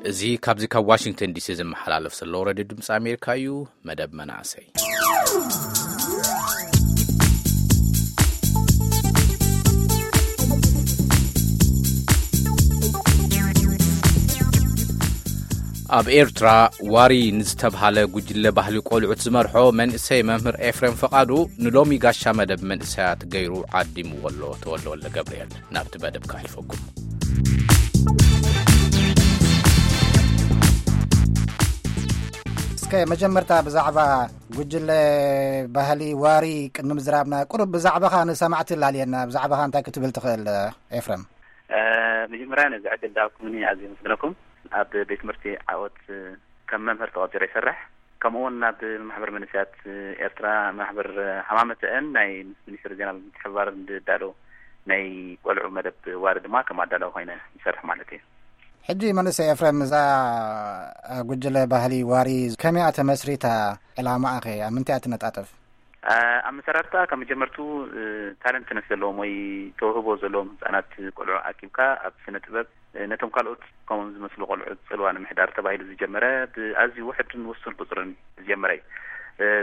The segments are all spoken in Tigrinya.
እዚ ካብዚ ካብ ዋሽንግተን ዲሲ ዝመሓላለፍ ዘሎ ሬድዮ ድምፂ ኣሜሪካ እዩ። መደብ መናእሰይ። ኣብ ኤርትራ ዋሪ ንዝተብሃለ ጉጅለ ባህሊ ቆልዑት ዝመርሖ መንእሰይ መምህር ኤፍሬም ፈቓዱ ንሎሚ ጋሻ መደብ መንእሰያት ገይሩ ዓዲምዎ ኣሎ። ተወልደ ወልደ ገብርኤል፣ ናብቲ መደብ ከሕልፈኩም። እስከ መጀመርታ ብዛዕባ ጉጅለ ባህሊ ዋሪ ቅድሚ ምዝራብና፣ ቁሩብ ብዛዕባኻ ንሰማዕቲ ላልየና፣ ብዛዕባኻ እንታይ ክትብል ትኽእል ኤፍረም? መጀመርያ ነዚ ዕድል ዝሃብኩምኒ ኣዝየ የመስግነኩም። ኣብ ቤት ትምህርቲ ዓወት ከም መምህር ተቐጺረ ይሰርሕ። ከምኡ እውን ናብ ማሕበር መንእሰያት ኤርትራ፣ ማሕበር ሃማመተአን ናይ ምስ ሚኒስትሪ ዜና ብምትሕብባር እንድዳሎ ናይ ቆልዑ መደብ ዋሪ ድማ ከም ኣዳላዊ ኮይነ ይሰርሕ ማለት እዩ። ሕጂ መንእሰይ ኤፍሬም፣ እዛ ጉጅለ ባህሊ ዋሪ ከመይ እያ ተመስሪታ? ዕላማኣ ኸ ኣብ ምንታይ እያ ትነጣጠፍ? ኣብ መሰራርታ ካብ መጀመርቱ ታለንትነት ዘለዎም ወይ ተውህቦ ዘለዎም ህፃናት ቆልዑ ኣኪብካ ኣብ ስነ ጥበብ ነቶም ካልኦት ከምኦም ዝመስሉ ቆልዑ ፅልዋ ንምሕዳር ተባሂሉ ዝጀመረ ብኣዝዩ ውሕድን ውሱን ቁፅርን ዝጀመረ እዩ።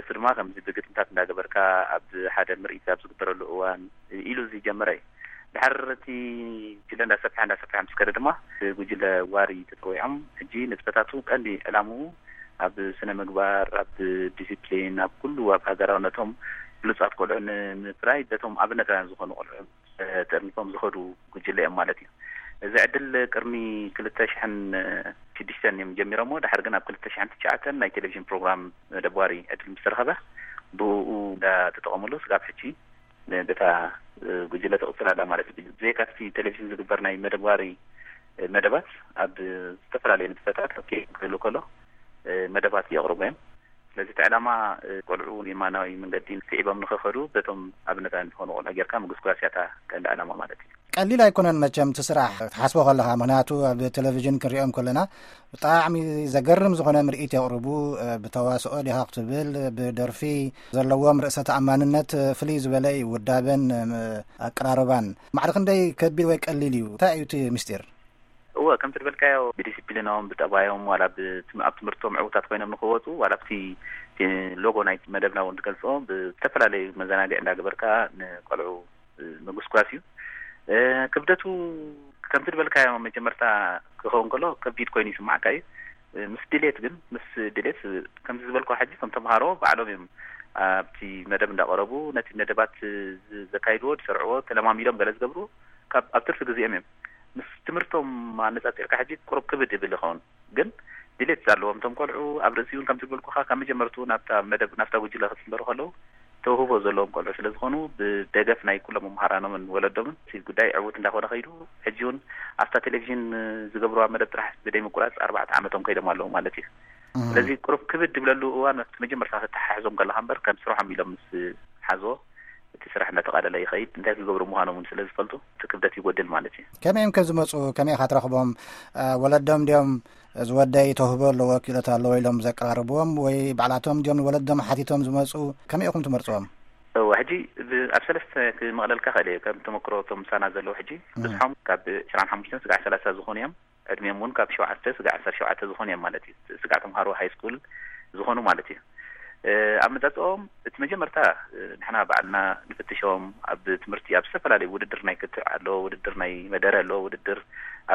እሱ ድማ ከምዚ ብግጥምታት እንዳገበርካ ኣብ ሓደ ምርኢት ኣብ ዝግበረሉ እዋን ኢሉ ዝጀመረ እዩ። ድሓር እቲ ጉጅለ እንዳሰፍሐ እንዳሰፍሐ ምስ ከደ ድማ ጉጅለ ዋሪ ተፀዊዖም። ሕጂ ንጥፈታቱ ቀንዲ ዕላምኡ ኣብ ስነ ምግባር፣ ኣብ ዲሲፕሊን፣ ኣብ ኩሉ ኣብ ሃገራውነቶም ብሉፃት ቆልዑ ንምፍራይ በቶም ኣብነታውያን ዝኾኑ ቆልዑ ተርኒፎም ዝኸዱ ጉጅለ እዮም ማለት እዩ። እዚ ዕድል ቅድሚ ክልተ ሽሕን ሽዱሽተን እዮም ጀሚሮሞ። ድሓር ግን ኣብ ክልተ ሽሕን ትሽዓተን ናይ ቴሌቪዥን ፕሮግራም መደብ ዋሪ ዕድል ምስ ተረኸበ ብኡ እንዳተጠቐምሉ ስጋብ ሕጂ በታ ጉጅለ ትቕፅል ኣላ ማለት እዩ። ብዘይካ እቲ ቴሌቪዥን ዝግበር ናይ መደብ ዋሪ መደባት ኣብ ዝተፈላለዩ ንጥፈታት ኣብ ክህሉ ከሎ መደባት የቕርቡ እዮም። ስለዚ እቲ ዕላማ ቆልዑ የማናዊ መንገዲ ስዒቦም ንኸኸዱ በቶም ኣብነታውያን ዝኾኑ ቆልዑ ጌርካ ምግስጓስ እያ እታ ቀንዲ ዕላማ ማለት እዩ። ቀሊል ኣይኮነን መቸም እቲ ስራሕ ክትሓስቦ ከለኻ፣ ምኽንያቱ ኣብ ቴሌቪዥን ክንሪኦም ከለና ብጣዕሚ ዘገርም ዝኾነ ምርኢት የቕርቡ። ብተዋስኦ ዲኻ ክትብል፣ ብደርፊ ዘለዎም ርእሰ ተኣማንነት ፍልይ ዝበለ እዩ፣ ውዳበን ኣቀራርባን። ማዕረ ክንደይ ከቢድ ወይ ቀሊል እዩ? እንታይ እዩ እቲ ምስጢር? እወ፣ ከምቲ ዝበልካዮ ብዲሲፕሊኖም፣ ብጠባዮም፣ ዋላ ብትም-፣ ኣብ ትምህርቶም ዕውታት ኮይኖም ንኽወፁ፣ ዋላ ኣብቲ ሎጎ ናይ መደብና እውን ዝገልፆ ብዝተፈላለዩ መዘናግዒ እንዳገበርካ ንቆልዑ ምጉስጓስ እዩ። ክብደቱ ከምቲ ዝበልካዮ መጀመርታ ክኸውን ከሎ ከቢድ ኮይኑ ይስማዕካ እዩ። ምስ ድሌት ግን፣ ምስ ድሌት ከምዚ ዝበልኩ ሕጂ ከም ተምሃሮ ባዕሎም እዮም ኣብቲ መደብ እንዳቐረቡ ነቲ መደባት ዘካይድዎ፣ ዝሰርዕዎ፣ ተለማሚዶም ገለ ዝገብሩ ካብ ኣብ ትርፊ ግዜኦም እዮም። ምስ ትምህርቶም ኣነጻጺርካ ሕጂ ቁሩብ ክብድ ይብል ይኸውን። ግን ድሌት ኣለዎም እቶም ቆልዑ። ኣብ ርእሲኡ እውን ከምቲ ዝበልኩኻ ካብ መጀመርትኡ ናብታ መደብ፣ ናብታ ጉጅለ ክጽንበሩ ከለዉ ተውህቦ ዘለዎም ቆልዑ ስለ ዝኾኑ ብደገፍ ናይ ኩሎም መምሃራኖምን ወለዶምን እቲ ጉዳይ ዕዉት እንዳኾነ ከይዱ፣ ሕጂ እውን ኣብታ ቴሌቪዥን ዝገብርዋ መደብ ጥራሕ ብደይ ምቁራጽ ኣርባዕተ ዓመቶም ከይዶም ኣለዉ ማለት እዩ። እም። ስለዚ ቁሩብ ክብድ ድብለሉ እዋን ኣብቲ መጀመርታ ከተተሓሕዞም ከለኻ እምበር ከም ስርሖም ኢሎም ምስ ሓዝዎ እቲ ስራሕ እንዳተቓለለ ይኸይድ። እንታይ ክገብሩ ምዃኖም እውን ስለ ዝፈልጡ እቲ ክብደት ይጎድል ማለት እዩ። ከመይ እዮም ከ ዝመፁ? ከመይ ኢኻ ትረኽቦም? እ፣ ወለዶም ድዮም እዚ ወደይ ተውህቦ ኣለዎ፣ ክእለት ኣለዎ ኢሎም ዘቀራርብዎም ወይ ባዕላቶም ድዮም ንወለዶም ሓቲቶም ዝመፁ? ከመይ ኢኹም ትመርፅዎም? እወ፣ ሕጂ ብ-፣ ኣብ ሰለስተ ክመቕለልካ ክእል እየ። ከም ተመክሮ እቶም ምሳና ዘለዉ ሕጂ እም። ብዝሖም ካብ ዕስራን ሓሙሽተን ስጋዕ ሰላሳ ዝኾኑ እዮም። ዕድሜኦም እውን ካብ ሸውዓተ ስጋዕ ዓሰርተ ሸውዓተ ዝኾኑ እዮም ማለት እዩ። ስጋዕ ተምሃሮ ሃይ ስኩል ዝኾኑ ማለት እዩ። እ፣ ኣመጻጽኦም እቲ መጀመርታ፣ እ፣ ንሕና ባዕልና ንፍትሾም። ኣብ ትምህርቲ ኣብ ዝተፈላለዩ ውድድር ናይ ክትዕ ኣሎ፣ ውድድር ናይ መደረ ኣሎ፣ ውድድር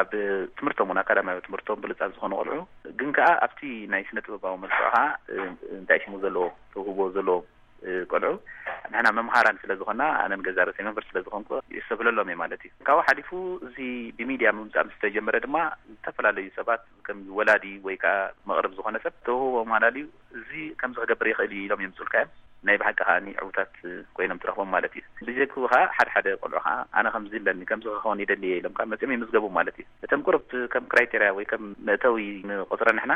ኣብ ትምህርቶም እውን ኣካዳሚያዊ ትምህርቶም ብሉጻት ዝኾኑ ቆልዑ ግን ከኣ ኣብቲ ናይ ስነ ጥበባዊ መልክዑ ከኣ፣ እ፣ እንታይ ሽሙ ዘለዎ ተውህቦ ዘለዎ እ፣ ቆልዑ ንሕና መምሃራን ስለ ዝኾና፣ ኣነን ገዛ ርእሰይ መምህር ስለ ዝኾንኩ ይሰብለሎም እየ ማለት እዩ። ካብኡ ሓሊፉ እዚ ብሚድያ ምምጻእ ምስ ተጀመረ ድማ ዝተፈላለዩ ሰባት ከም ወላዲ ወይ ከኣ መቕርብ ዝኾነ ሰብ ተውህቦ ማላልዩ እዚ ከምዚ ክገብር ይኽእል እዩ ኢሎም የምጽኡልካ እዮም። ናይ ብሓቂ ከኣ ዕዉታት ኮይኖም ትረኽቦም ማለት እዩ። ብጀክኡ ከኣ ሓደ ሓደ ቆልዑ ከኣ ኣነ ከምዚ ኣለኒ፣ ከምዚ ክኸውን ይደሊ እየ ኢሎም ከኣ መጺኦም ይምዝገቡ ማለት እዩ። እቶም ቁሩብ ከም ክራይቴርያ ወይ ከም መእተዊ ንቆጽሮ ንሕና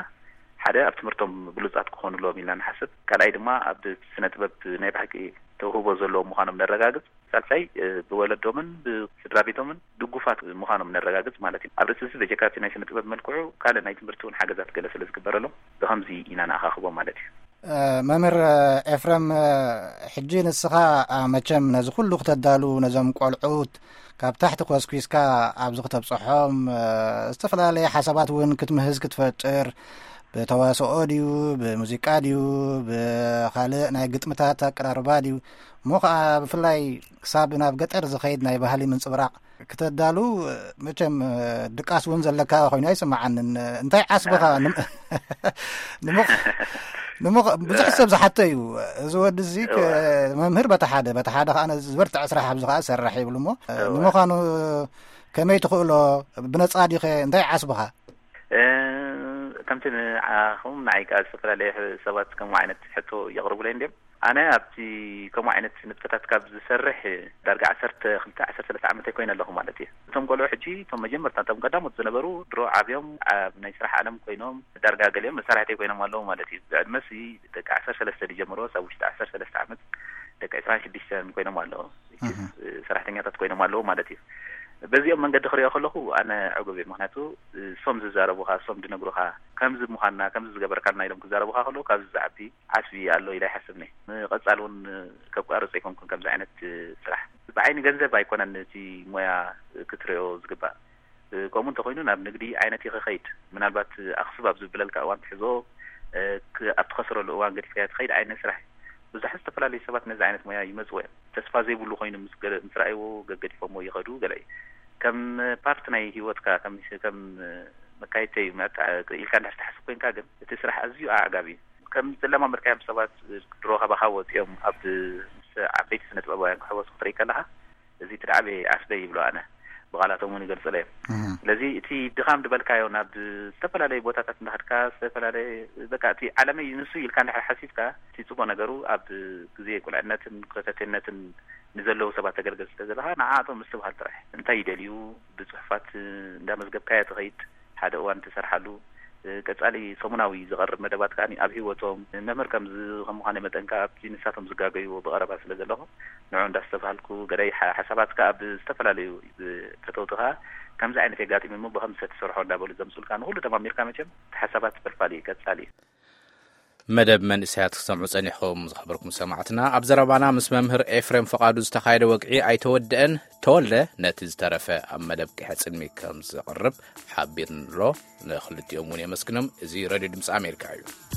ሓደ ኣብ ትምህርቶም ብሉጻት ክኾኑ ኣለዎም ኢልና ንሓስብ። ካልኣይ ድማ ኣብ ስነ ጥበብ ናይ ብሓቂ ተውህቦ ዘለዎም ምዃኖም ነረጋግጽ። ሳልሳይ፣ እ፣ ብወለዶምን ብስድራ ቤቶምን ድጉፋት ምዃኖም ነረጋግጽ ማለት እዩ። ኣብ ርእሲ እዚ በጀካ እቲ ናይ ስነ ጥበብ መልክዑ ካልእ ናይ ትምህርቲ እውን ሓገዛት ገለ ስለ ዝግበረሎም ብኸምዚ ኢና ንኣኻኽቦም ማለት እዩ። እ፣ መምህር ኤፍረም፣ እ፣ ሕጂ ንስኻ፣ እ፣ መቸም ነዚ ኩሉ ክተዳሉ ነዞም ቆልዑት ካብ ታሕቲ ኮስኲስካ ኣብዚ ክተብጽሖም፣ እ፣ ዝተፈላለየ ሓሳባት እውን ክትምህዝ ክትፈጥር፣ ብተዋስኦ ድዩ፣ ብሙዚቃ ድዩ፣ ብኻልእ ናይ ግጥምታት ኣቀራርባ ድዩ፣ እሞ ኸዓ ብፍላይ ክሳብ ናብ ገጠር ዝኸይድ ናይ ባህሊ ምንጽብራቕ ክተዳሉ፣ መቸም፣ እ፣ ድቃስ እውን ዘለካ ኮይኑ ኣይስምዓንን። እንታይ ዓስብኻ? ንም-፣ ንምኽ-፣ ንምኽ-፣ ብዙሕ ሰብ ዝሓቶ እዩ። እዚ ወዲ እዚ ክ-፣ እወ። መምህር በታ ሓደ፣ በታ ሓደ ኸዓ ነዚ ዝበርትዐ ስራሕ ኣብዚ ኸዓ ዝሰርሕ ይብሉ እሞ፣ እወ። ንምዃኑ ከመይ ትኽእሎ? ብነጻ ዲኸ? እንታይ ዓስብኻ? እ፣ ከምቲ ንዓኹም ንዓይ ከኣ ዝተፈላለየ ሕ-፣ ሰባት ከምኡ ዓይነት ሕቶ የቕርቡለይ እንድዮም። ኣነ ኣብቲ ከምኡ ዓይነት ንጥፈታት ካብ ዝሰርሕ ዳርጋ ዓሰርተ ክልተ ዓሰርተ ሰለስተ ዓመተይ ኮይነ ኣለኹ ማለት እዩ። እቶም ቆልዑ ሕጂ፣ እቶም መጀመርታ፣ እቶም ቀዳሞት ዝነበሩ፣ ድሮ ዓብዮም ኣብ ናይ ስራሕ ዓለም ኮይኖም፣ ዳርጋ ገሊኦም መሳርሕተይ ኮይኖም ኣለዉ ማለት እዩ። ብዕድመሲ ደቂ ዓሰርተ ሰለስተ ዝጀመርዎስ ኣብ ውሽጢ ዓሰርተ ሰለስተ ዓመት ደቂ ዕስራን ሽዱሽተን ኮይኖም ኣለዉ። እህ። ሰራሕተኛታት ኮይኖም ኣለዉ ማለት እዩ። በዚኦም መንገዲ ክሪኦ ከለኹ ኣነ ዕጉብ እየ። ምኽንያቱ እሶም ዝዛረቡኻ፣ እሶም ዝነግሩኻ፣ ከምዚ ምዃንና፣ ከምዚ ዝገበርካልና ኢሎም ክዛረቡኻ ከለዉ ካብዚ ዝዓቢ ዓስቢ ኣሎ ኢለ ኣይሓስብን እየ። ንቐጻሊ እውን ከቋርጽ ኣይኮንኩን ከምዚ ዓይነት ስራሕ። ብዓይኒ ገንዘብ ኣይኮነን እቲ ሞያ ክትሪኦ ዝግባእ። ከምኡ እንተኾይኑ ናብ ንግዲ ዓይነት ኢኸ ኸይድ። ምናልባት ኣኽስብ ኣብ ዝብለልካ እዋን ትሕዞ፣ እ፣ ክ-፣ ኣብ ትኸስረሉ እዋን ገዲፍካዮ ትኸይድ ዓይነት ስራሕ እዩ። ብዙሓት ዝተፈላለዩ ሰባት ነዚ ዓይነት ሞያ ይመጽዎ እዮም። ተስፋ ዘይብሉ ኮይኑ ምስ ገለ-፣ ምስ ረኣይዎ ገገዲፎምዎ ይኸዱ ገለ እዩ። ከም ፓርት ናይ ህይወትካ፣ ከም፣ ከም መካየድተይ መጣ-፣ ኢልካ እንድሕር ትሓስብ ኮንካ ግን እቲ ስራሕ ኣዝዩ ኣዕጋቢ እዩ። ከም ዝለማመድካዮም ሰባት ድሮ ካባኻ ወጺኦም ኣብ ምስ ዓበይቲ ስነ ጥበባውያን ክሕወሱ ክትርኢ ከለኻ፣ እዚ እቲ ደዓበየ ዓስበይ ይብሎ ኣነ። ብቓላቶም እውን ይገልጽለዮም። እህ። ስለዚ እቲ ድኻም ዝበልካዮ ናብ ዝተፈላለየ ቦታታት እንዳኸድካ ዝተፈላለየ በቃ እቲ ዓለመይ ንሱ ኢልካ እንድሕር ሓሲብካ እቲ ጽቡቕ ነገሩ ኣብ ግዜ ቁልዕነትን ኮተቴነትን ንዘለዉ ሰባት ተገልግል ስለ ዘለኻ ንዓኣቶም ምስትብሃል ጥራሕ። እንታይ ይደልዩ ብጽሑፋት እንዳመዝገብካዮ ትኸይድ ሓደ እዋን ትሰርሓሉ። ቀጻሊ ሰሙናዊ ዝቐርብ መደባት ከኣ ኣብ ህይወቶም መምህር ከም ዝ-፣ ከም ምዃነይ መጠን ከኣ ኣብቲ ንሳቶም ዝጋገይዎ ብቐረባ ስለ ዘለኹ ንዑ እንዳስተብሃልኩ ገዳይ ሓ-፣ ሓሳባት ከኣ ብዝተፈላለዩ ፈተውቲ ከኣ ከምዚ ዓይነት የጋጢሙ እሞ ብኸምዚ ተትሰርሖ እንዳበሉ ዘምጹልካ ንኹሉ ደማሚርካ መቸም እቲ ሓሳባት ፈልፋሊ እዩ፣ ቀጻሊ እዩ። መደብ መንእሰያት ክትሰምዑ ጸኒሕኩም ዝኸበርኩም ሰማዕትና። ኣብ ዘረባና ምስ መምህር ኤፍሬም ፍቓዱ ዝተኻየደ ወግዒ ኣይተወድአን። ተወልደ ነቲ ዝተረፈ ኣብ መደብ ቂሐ ጽልሚ ከም ዘቕርብ ሓቢርንሎ። ንኽልቲኦም እውን የመስግኖም። እዚ ሬድዮ ድምፂ ኣሜሪካ እዩ።